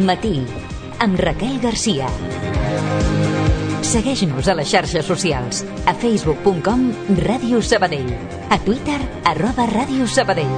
Matí, amb Raquel Garcia. Segueix-nos a les xarxes socials, a facebook.com Ràdio Sabadell, a Twitter @Ràdio Sabadell.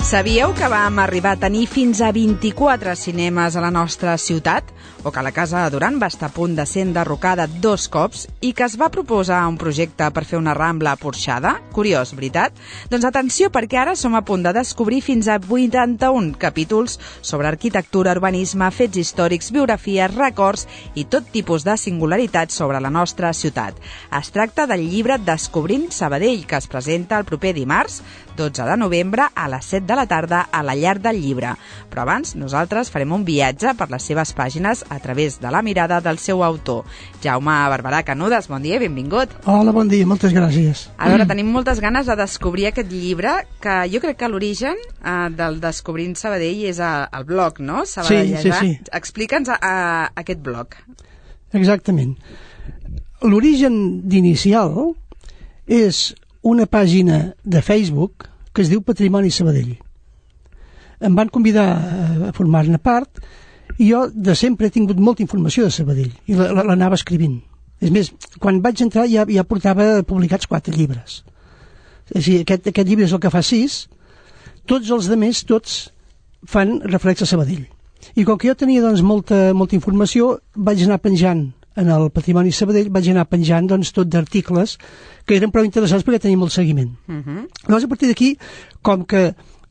Sabíeu que vam arribar a tenir fins a 24 cinemes a la nostra ciutat? O que la Casa Duran va estar a punt de ser enderrocada 2 cops i que es va proposar un projecte per fer una rambla porxada? Curiós, veritat? Doncs atenció, perquè ara som a punt de descobrir fins a 81 capítols sobre arquitectura, urbanisme, fets històrics, biografies, records i tot tipus de singularitats sobre la nostra ciutat. Es tracta del llibre Descobrint Sabadell, que es presenta el proper dimarts, 12 de novembre, a les 7 de la tarda a la Llar del Llibre. Però abans, nosaltres farem un viatge per les seves pàgines a través de la mirada del seu autor. Jaume Barberà Canudes, bon dia i benvingut. Hola, bon dia, moltes gràcies. A veure, tenim moltes ganes de descobrir aquest llibre, que jo crec que l'origen del Descobrint Sabadell és el blog, no? Sí. Explica'ns aquest blog. Exactament. L'origen d'inicial és una pàgina de Facebook que es diu Patrimoni Sabadell. Em van convidar a formar-ne part i jo de sempre he tingut molta informació de Sabadell i l'anava escrivint. És més, quan vaig entrar ja portava publicats 4 llibres. És a dir, aquest llibre és el que fa 6, tots els altres, tots fan referència a Sabadell. I com que jo tenia doncs, molta informació, vaig anar penjant en el Patrimoni Sabadell, vaig anar penjant doncs, tot d'articles que eren prou interessants perquè tenia molt seguiment. Llavors, a partir d'aquí, com que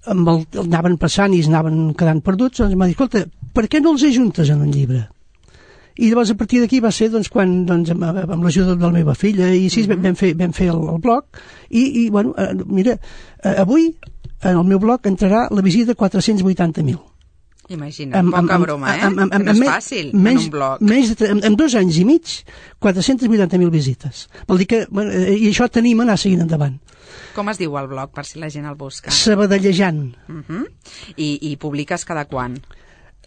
anaven passant i anaven quedant perduts, doncs m'ha dit, escolta, per què no els ajuntes en un llibre? I llavors, a partir d'aquí va ser doncs, quan, doncs, amb l'ajuda de la meva filla, i així vam fer el blog, i bueno, mira, avui en el meu blog entrarà la visita de 480.000. Imagina't, poca broma, que no és fàcil en un blog. En 2 anys i mig, 480.000 visites. Vol dir que, bueno, i això t'anima a anar seguint endavant. Com es diu el blog, per si la gent el busca? Sabadellejant. I publiques cada quan?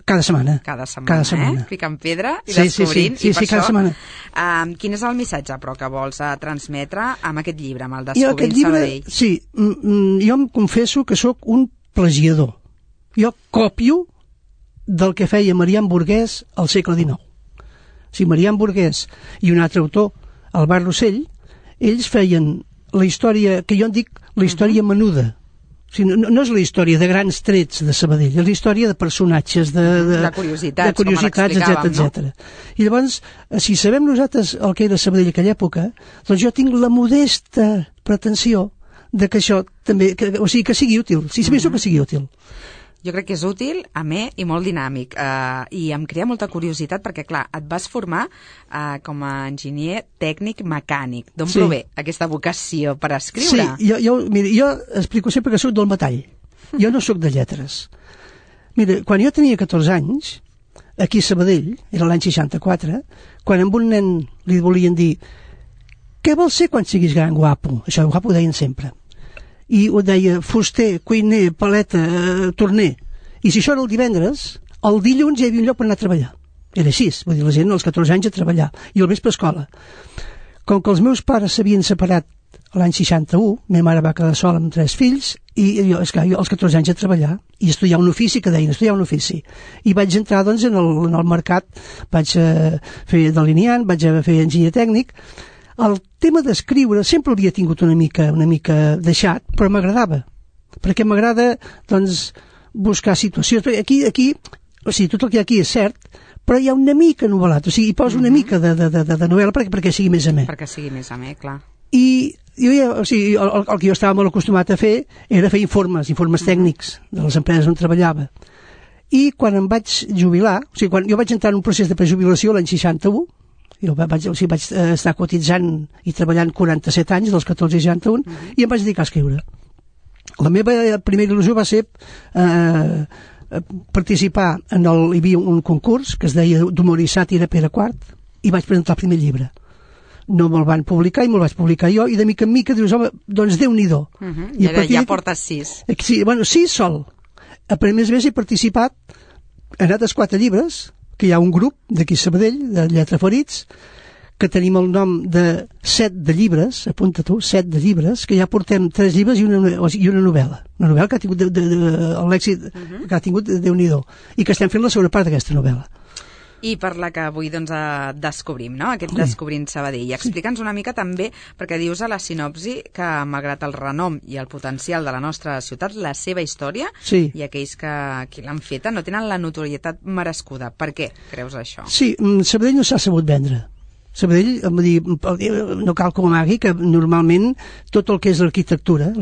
Cada setmana. Cada setmana. Picant pedra i descobrint. Sí, cada setmana. Quin és el missatge, però, que vols transmetre amb aquest llibre, amb el Descobrint Sabadell? Sí, jo em confesso que sóc un plagiador. Jo copio del que feia Marian Burguès al segle XIX. O sigui, Marian Burguès i un altre autor, Albert Rossell, ells feien la història, que jo en dic la història menuda. O sigui, no és la història de grans trets de Sabadell, és la història de personatges, de curiositats, etc. I llavors, si sabem nosaltres el que era Sabadell a aquella època, doncs jo tinc la modesta pretensió de que això també, o sigui, que sigui útil, si sabés que sigui útil. Jo crec que és útil, amè i molt dinàmic, i em crea molta curiositat perquè, clar, et vas formar com a enginyer tècnic mecànic. D'on prové aquesta vocació per escriure? Sí, jo explico sempre que soc del metall. Jo no soc de lletres. Mira, quan jo tenia 14 anys, aquí a Sabadell, era l'any 64, quan amb un nen li volien dir què vols ser quan siguis gran, guapo? Això guapo ho deien sempre. I ho deia fuster, cuiner, paleta, torner. I si això era el divendres, el dilluns hi havia un lloc per anar a treballar. Era així, vull dir, la gent als 14 anys a treballar, i al vespre a escola. Com que els meus pares s'havien separat l'any 61, meva mare va quedar sola amb 3 fills, i jo, esclar, jo als 14 anys a treballar, i estudiar un ofici, que deien, estudiar un ofici. I vaig entrar, doncs, en el mercat, vaig fer delineant, vaig fer enginyer tècnic. El tema d'escriure sempre l'havia tingut una mica deixat, però m'agradava, perquè m'agrada, doncs, buscar situacions. Aquí, o sigui, tot el que hi ha aquí és cert, però hi ha una mica novel·lat, o sigui, hi poso una mica de novel·la perquè sigui més amè. Perquè sigui més amè, clar. I el que jo estava molt acostumat a fer era fer informes tècnics de les empreses on treballava. I quan em vaig jubilar, quan jo vaig entrar en un procés de prejubilació l'any 61, jo vaig estar cotitzant i treballant 47 anys, dels 14 i 61, i em vaig dedicar a escriure. La meva primera il·lusió va ser participar hi havia un concurs que es deia d'humor i sàtira Pere IV, i vaig presentar el primer llibre. No me'l van publicar i me'l vaig publicar jo, i de mica en mica dius, home, doncs Déu-n'hi-do. I ja portes 6. Sí, bueno, 6 sol. A més he participat en altres 4 llibres, que hi ha un grup d'aquí a Sabadell, de Lletraferits, que tenim el nom de 7 de llibres, apunta tu, 7 de llibres, que ja portem 3 llibres i una novel·la. Una novel·la que ha tingut l'èxit que ha tingut Déu-n'hi-do, i que estem fent la segona part d'aquesta novel·la. I per la que avui descobrim, no? Aquest Descobrint Sabadell. Explica'ns una mica també, perquè dius a la sinopsi que malgrat el renom i el potencial de la nostra ciutat, la seva història i aquells que l'han feta no tenen la notorietat merescuda. Per què creus això? Sí, Sabadell no s'ha sabut vendre. Sabadell, no cal que ho amagui, que normalment tot el que és l'arquitectura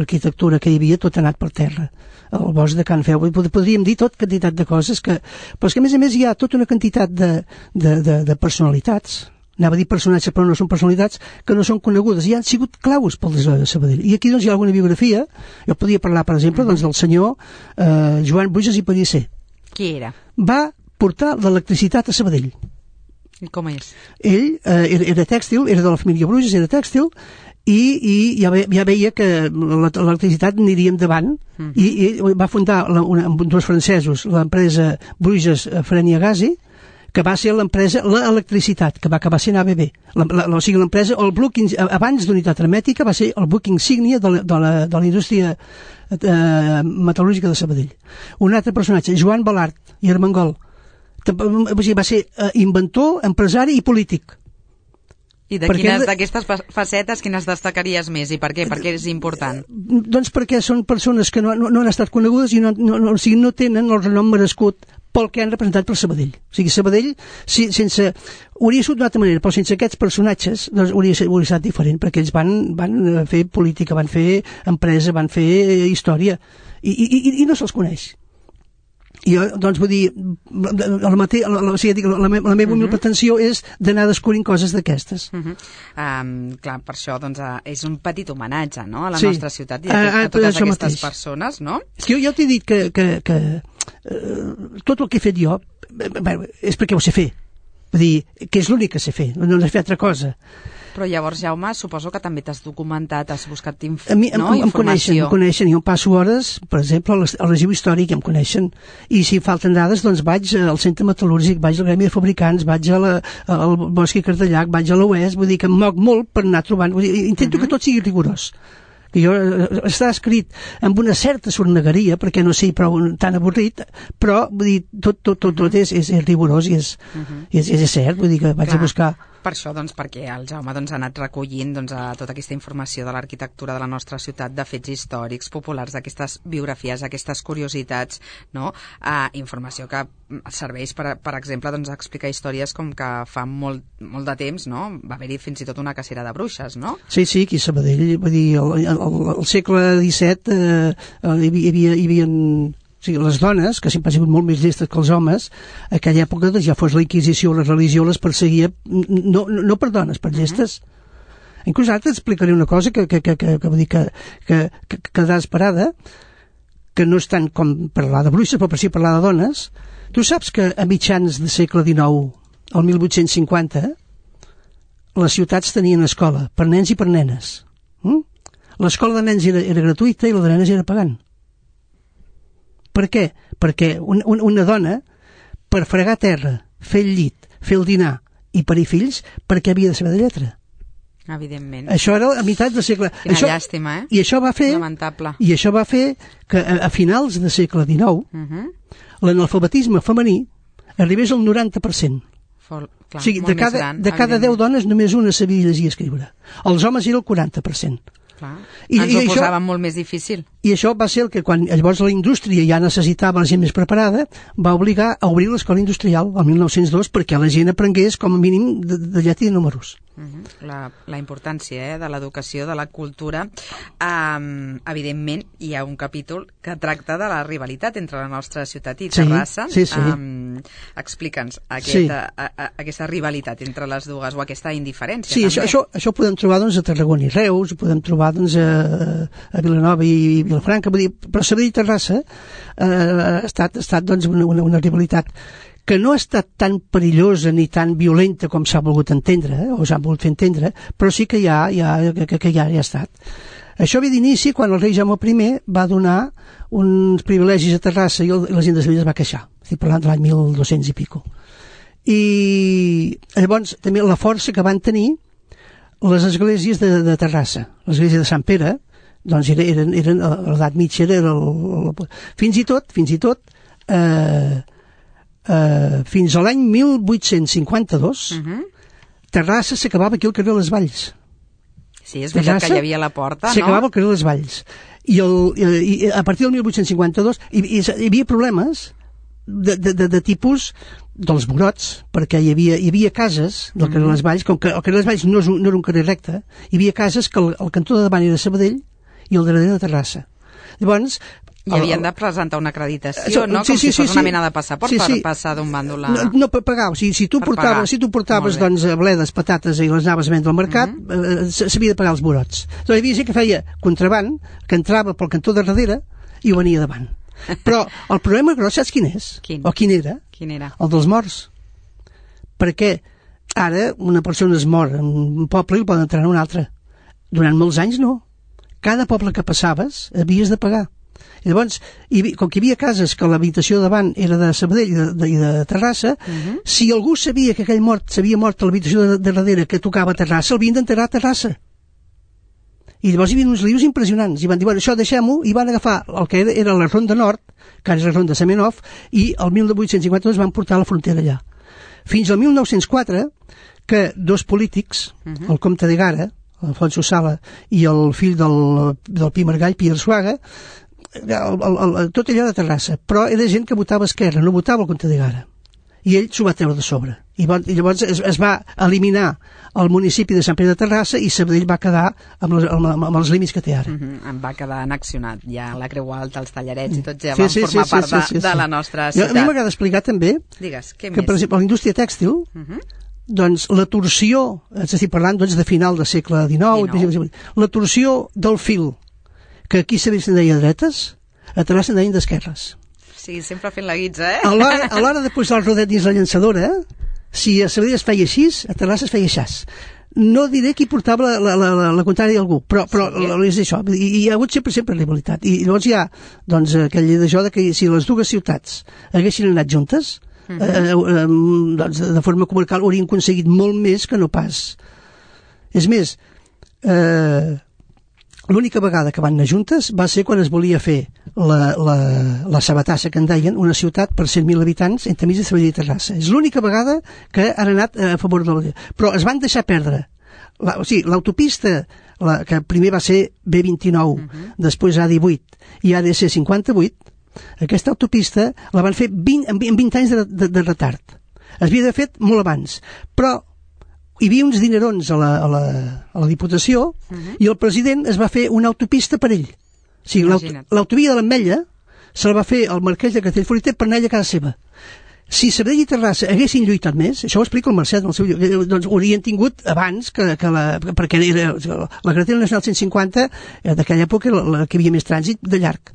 que hi havia, tot ha anat per terra. El bosc de Can Feu, podríem dir tot quantitat de coses, però és que a més hi ha tota una quantitat de personalitats, anava a dir personatges però no són personalitats, que no són conegudes i han sigut claus pel desarrollo de Sabadell. I aquí doncs hi ha alguna biografia, jo podria parlar per exemple del senyor Joan Bruges i Pellicer. Qui era? Va portar l'electricitat a Sabadell. I com és? Ell era tèxtil, era de la família Bruges, era tèxtil, i ja veia que l'electricitat aniria endavant, i va fundar amb 2 francesos l'empresa Bruges Frenia Gasi, que va ser l'electricitat, que va acabar sent ABB. O sigui, l'empresa, abans d'Unitat Hermètica, va ser el buc insígnia de la indústria metal·lúrgica de Sabadell. Un altre personatge, Joan Balart i Armengol, va ser inventor, empresari i polític. I d'aquestes facetes, quines destacaries més i per què? Per què és important? Doncs perquè són persones que no han estat conegudes i no tenen el renom merescut pel que han representat per Sabadell. O sigui, Sabadell hauria sigut d'una altra manera, però sense aquests personatges doncs hauria estat diferent, perquè ells van fer política, van fer empresa, van fer història, i no se'ls coneix. I jo, doncs, vull dir, la meva humil pretensió és d'anar descobrint coses d'aquestes. Clar, per això doncs, és un petit homenatge, no?, a la nostra ciutat i a totes aquestes persones, no? És que jo t'he dit que tot el que he fet jo és perquè ho sé fer. Vull dir, que és l'únic que sé fer, no sé fer altra cosa. Però llavors, Jaume, suposo que també t'has documentat, has buscat informació. Em coneixen, jo passo hores, per exemple, al Arxiu Històric, em coneixen, i si falten dades, doncs vaig al Centre Metal·lúrgic, vaig al Gremi de Fabricants, vaig al Bosc i Cardellac, vaig a l'Oest, vull dir que em moc molt per anar trobant, intento que tot sigui rigorós. Que jo està escrit amb una certa sornegueria, perquè no sé prou tan avorrit, però vull dir, tot és rigorós i és cert, vull dir que vaig a buscar. Per això, doncs, perquè el Jaume ha anat recollint tota aquesta informació de l'arquitectura de la nostra ciutat, de fets històrics, populars, d'aquestes biografies, aquestes curiositats, no? Informació que serveix, per exemple, a explicar històries com que fa molt de temps, no?, va haver-hi fins i tot una cacera de bruixes, no? Sí, aquí a Sabadell, vull dir, al segle XVII hi havia o sigui, les dones, que sempre han sigut molt més llestes que els homes, a aquella època, ja fos la Inquisició o la religió, les perseguia, no per dones, per llestes. Inclús ara t'explicaré una cosa que vull dir que quedarà esperada, que no és tant com parlar de bruixes, però per si parlar de dones. Tu saps que a mitjans del segle XIX, el 1850, les ciutats tenien escola, per nens i per nenes. L'escola de nens era gratuïta i la de nenes era pagant. Per què? Perquè una dona, per fregar terra, fer el llit, fer el dinar i parir fills, perquè havia de saber de lletra. Evidentment. Això era a meitat del segle... Quina llàstima, eh? I això va fer... Lamentable. I això va fer que a finals del segle XIX l'analfabetisme femení arribés al 90%. Clar, o sigui, de cada 10 dones només una sabia llegir i escriure. Els homes era el 40%. Clar. Ens ho posaven molt més difícil. I això va ser el que quan llavors la indústria ja necessitava la gent més preparada, va obligar a obrir l'escola industrial el 1902 perquè la gent aprengués com a mínim de lletra i de números. La importància de l'educació, de la cultura. Evidentment, hi ha un capítol que tracta de la rivalitat entre la nostra ciutat i Terrassa. Sí. Explica'ns aquesta rivalitat entre les dues, o aquesta indiferència. Sí, això ho podem trobar a Tarragona i Reus, ho podem trobar a Vilanova i Vilafranca, però Sabadell i Terrassa ha estat una rivalitat que no ha estat tan perillosa ni tan violenta com s'ha volgut entendre, o s'ha volgut fer entendre, però sí que ja ha estat. Això ve d'inici quan el rei Jaume I va donar uns privilegis a Terrassa i la gent de Sevilla es va queixar. Estic parlant de l'any 1200 i pico. I llavors també la força que van tenir les esglésies de Terrassa. L'església de Sant Pere, doncs eren a l'edat mitja, fins i tot fins a l'any 1852 Terrassa s'acabava aquí al carrer de les Valls. Sí, és veritat que hi havia la porta, no? S'acabava al carrer de les Valls. I a partir del 1852 hi havia problemes de tipus dels brots, perquè hi havia cases del carrer de les Valls, com que el carrer de les Valls no era un carrer recte, hi havia cases que el cantó de davant era de Sabadell i el darrere de Terrassa. Llavors, i havien de presentar una acreditació, no? Com si fos una mena de passaport per passar d'un bàndol a... No, per pagar. O sigui, si tu portaves bledes, patates i les anaves a vendre al mercat, s'havia de pagar els brots. Doncs hi havia gent que feia contraband, que entrava pel cantó de darrere i ho venia davant. Però el problema gros, saps quin és? O quin era? El dels morts. Perquè ara una persona es mor en un poble i el poden entrar en un altre. Durant molts anys no. Cada poble que passaves havies de pagar. I llavors, com que hi havia cases que l'habitació davant era de Sabadell i de Terrassa, si algú sabia que aquell mort s'havia mort a l'habitació de darrere que tocava a Terrassa, el havien d'enterrar a Terrassa. I llavors hi havia uns lius impressionants, i van dir, bueno, això deixem-ho, i van agafar el que era la Ronda Nord, que ara és la Ronda Semenov, i el 1852 van portar la frontera allà. Fins al 1904, que dos polítics, el comte de Gara, Alfonso Sala, i el fill del Pi Margall, Pierre Suaga, tot allò de Terrassa, però era gent que votava esquerra, no votava el comte de Gara, i ell s'ho va treure de sobre, i llavors es va eliminar el municipi de Sant Pere de Terrassa i Sabadell va quedar amb els límits que té ara. Em va quedar annexionat ja la Creu Alta, els Tallarets i tot ja van formar part de la nostra ciutat. A mi m'agrada explicar també que, per exemple, la indústria tèxtil, doncs la torsió, estic parlant de final del segle XIX, la torsió del fil, que aquí Sabadell se'n deia dretes, a Terrassa se'n deien d'esquerres. Sí, sempre fent la guitza, A l'hora de posar el rodet dins la llançadora, si a Sabadell es feia així, a Terrassa es feia aixàs. No diré qui portava la contrària d'algú, però és això. Hi ha hagut sempre rivalitat. I llavors hi ha aquell d'això que si les dues ciutats haguessin anat juntes, de forma comarcal haurien aconseguit molt més que no pas. És més, l'única vegada que van anar juntes va ser quan es volia fer la Sabatassa, que en deien, una ciutat per 100.000 habitants entre mig de Sabadell i Terrassa. És l'única vegada que han anat a favor de la... Però es van deixar perdre. L'autopista, que primer va ser B29, després A18 i ADC 58, aquesta autopista la van fer amb 20 anys de retard. Es havia de fet molt abans, però hi havia uns dinerons a la Diputació i el president es va fer una autopista per ell. O sigui, l'autovia de l'Ametlla se la va fer el marquès de Castellfollit per anar a casa seva. Si Sabadell i Terrassa haguessin lluitat més, això ho explica el Mercè en el seu llibre, doncs ho haurien tingut abans, perquè era la carretera nacional 150 d'aquella època la que hi havia més trànsit de llarg.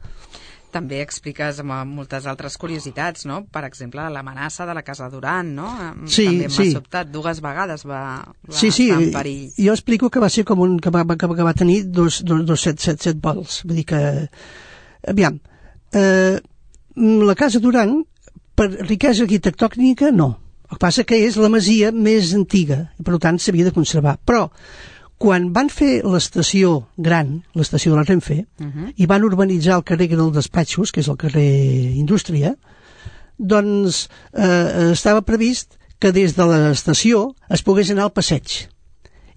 També expliques moltes altres curiositats, no? Per exemple, l'amenaça de la Casa Duran, no? També m'ha sobtat, 2 vegades va estar en perill. Jo explico que va ser com que va tenir dos 7 vols. Vull dir que... Aviam, la Casa Duran, per riquesa arquitectònica, no. El que passa que és la masia més antiga, i per tant s'havia de conservar. Però quan van fer l'estació gran, l'estació de la Renfe, i van urbanitzar el carrer dels despatxos, que és el carrer Indústria, doncs estava previst que des de l'estació es pogués anar al passeig.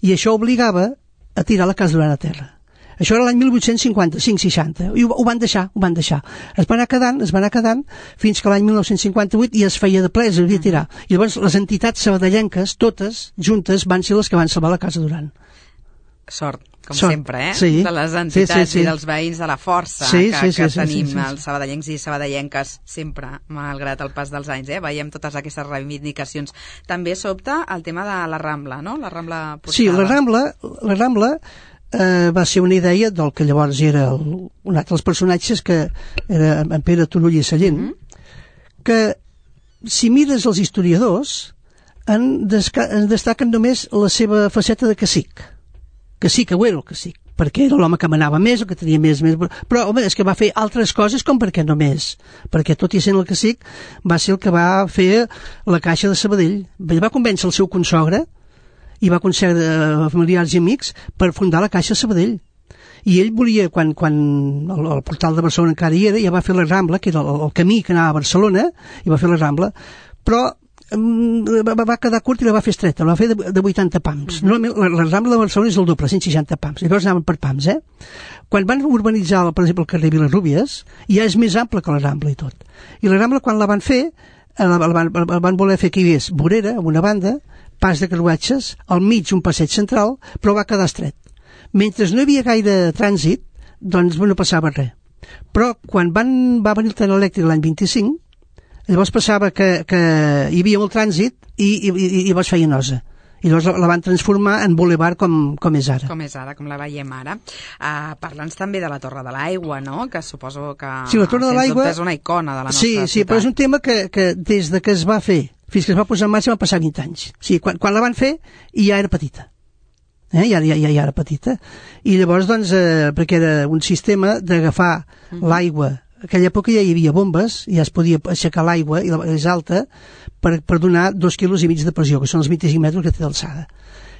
I això obligava a tirar la Casa Duran a terra. Això era l'any 1855-60, i ho van deixar. Es va anar quedant, fins que l'any 1958 ja es feia de ple, es havia de tirar. I llavors les entitats sabadellenques, totes juntes, van ser les que van salvar la Casa Duran. Sort, sempre, sí. De les entitats i dels veïns, de la força que tenim els sabadellencs i sabadellenques sempre, malgrat el pas dels anys, veiem totes aquestes reivindicacions. També sobta el tema de la Rambla, no? La Rambla Portada. Sí, la Rambla va ser una idea del que llavors era un altre dels personatges, que era en Pere Turull i Sallent, que si mires els historiadors en destaquen només la seva faceta de cacic. Que ho era el cacic, perquè era l'home que manava més, o que tenia més... Però, home, és que va fer altres coses com perquè no més. Perquè, tot i sent el cacic, va ser el que va fer la Caixa de Sabadell. Va convèncer el seu consogre i va concedir familiars i amics per fundar la Caixa de Sabadell. I ell volia, quan el portal de Barcelona encara hi era, ja va fer la Rambla, que era el camí que anava a Barcelona, i va fer la Rambla, però va quedar curt i la va fer estreta, la va fer de 80 pams. Normalment la Rambla de Barcelona és el doble, 160 pams, llavors anaven per pams. Quan van urbanitzar, per exemple, el carrer Vilarrúbies, ja és més ample que la Rambla i tot. I la Rambla, quan la van fer, van voler fer que hi hagués vorera, amb una banda, pas de carruatges, al mig un passeig central, però va quedar estret. Mentre no hi havia gaire trànsit, doncs no passava res. Però quan va venir el tren elèctric l'any 25, llavors passava que hi havia molt trànsit i llavors feia nosa. I llavors la van transformar en bulevard com és ara. Com la veiem ara. Parla'ns també de la Torre de l'Aigua, no? Que suposo que sí, la Torre de l'Aigua és una icona de la nostra ciutat. Sí, però és un tema que des de que es va fer fins que es va posar en marxa van passar 20 anys. Sí, quan la van fer ja era petita. Ja era petita. I llavors, doncs, perquè era un sistema d'agafar l'aigua. En aquella època ja hi havia bombes, ja es podia aixecar l'aigua, i és alta, per donar 2,5 quilos de pressió, que són els 25 metres que té d'alçada.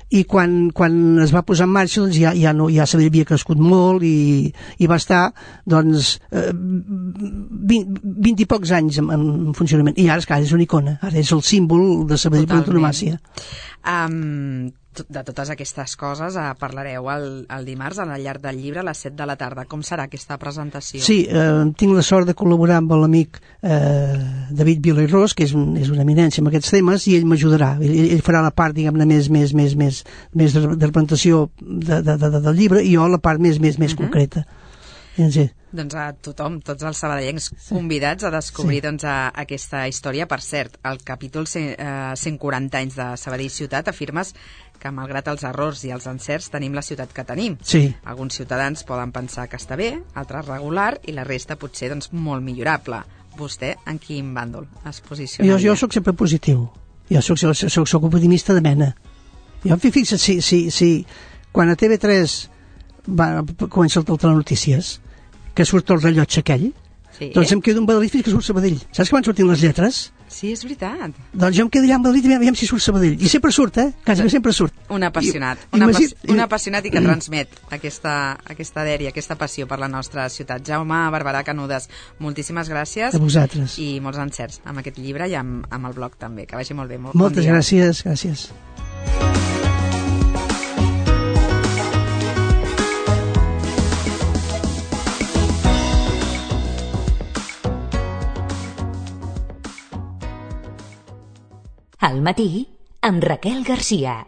I quan es va posar en marxa, doncs ja s'havia crescut molt i va estar, doncs, 20 i pocs anys en funcionament. I ara, esclar, és una icona, ara és el símbol de Sabadell per l'antonomàsia. De totes aquestes coses parlareu el dimarts al llarg del llibre a les 7 de la tarda. Com serà aquesta presentació? Sí, tinc la sort de col·laborar amb l'amic David Vila i Ros, que és una eminència en aquests temes, i ell m'ajudarà. Ell farà la part, diguem-ne, més de presentació del llibre, i jo la part més concreta. Sí. Doncs a tothom, tots els sabadellencs convidats a descobrir aquesta història. Per cert, al capítol 140 anys de Sabadell Ciutat afirmes que malgrat els errors i els encerts tenim la ciutat que tenim. Sí. Alguns ciutadans poden pensar que està bé, altres regular, i la resta potser molt millorable. Vostè en quin bàndol es posicionaria? Jo soc sempre positiu. Jo soc optimista de mena. Fixa't, si quan a TV3 comença el telenotícies, que surt el rellotge aquell, doncs em quedo embadalit fins que surt Sabadell. Saps que van sortint les lletres? Sí, és veritat. Doncs jo em quedo allà embadalit i veiem si surt Sabadell. I sempre surt, quasi sempre surt. Un apassionat. Un apassionat i que transmet aquesta dèria, aquesta passió per la nostra ciutat. Jaume Barberà Canudes, moltíssimes gràcies. A vosaltres. I molts encerts amb aquest llibre i amb el blog també. Que vagi molt bé. Moltes gràcies. Al matí, amb Raquel Garcia.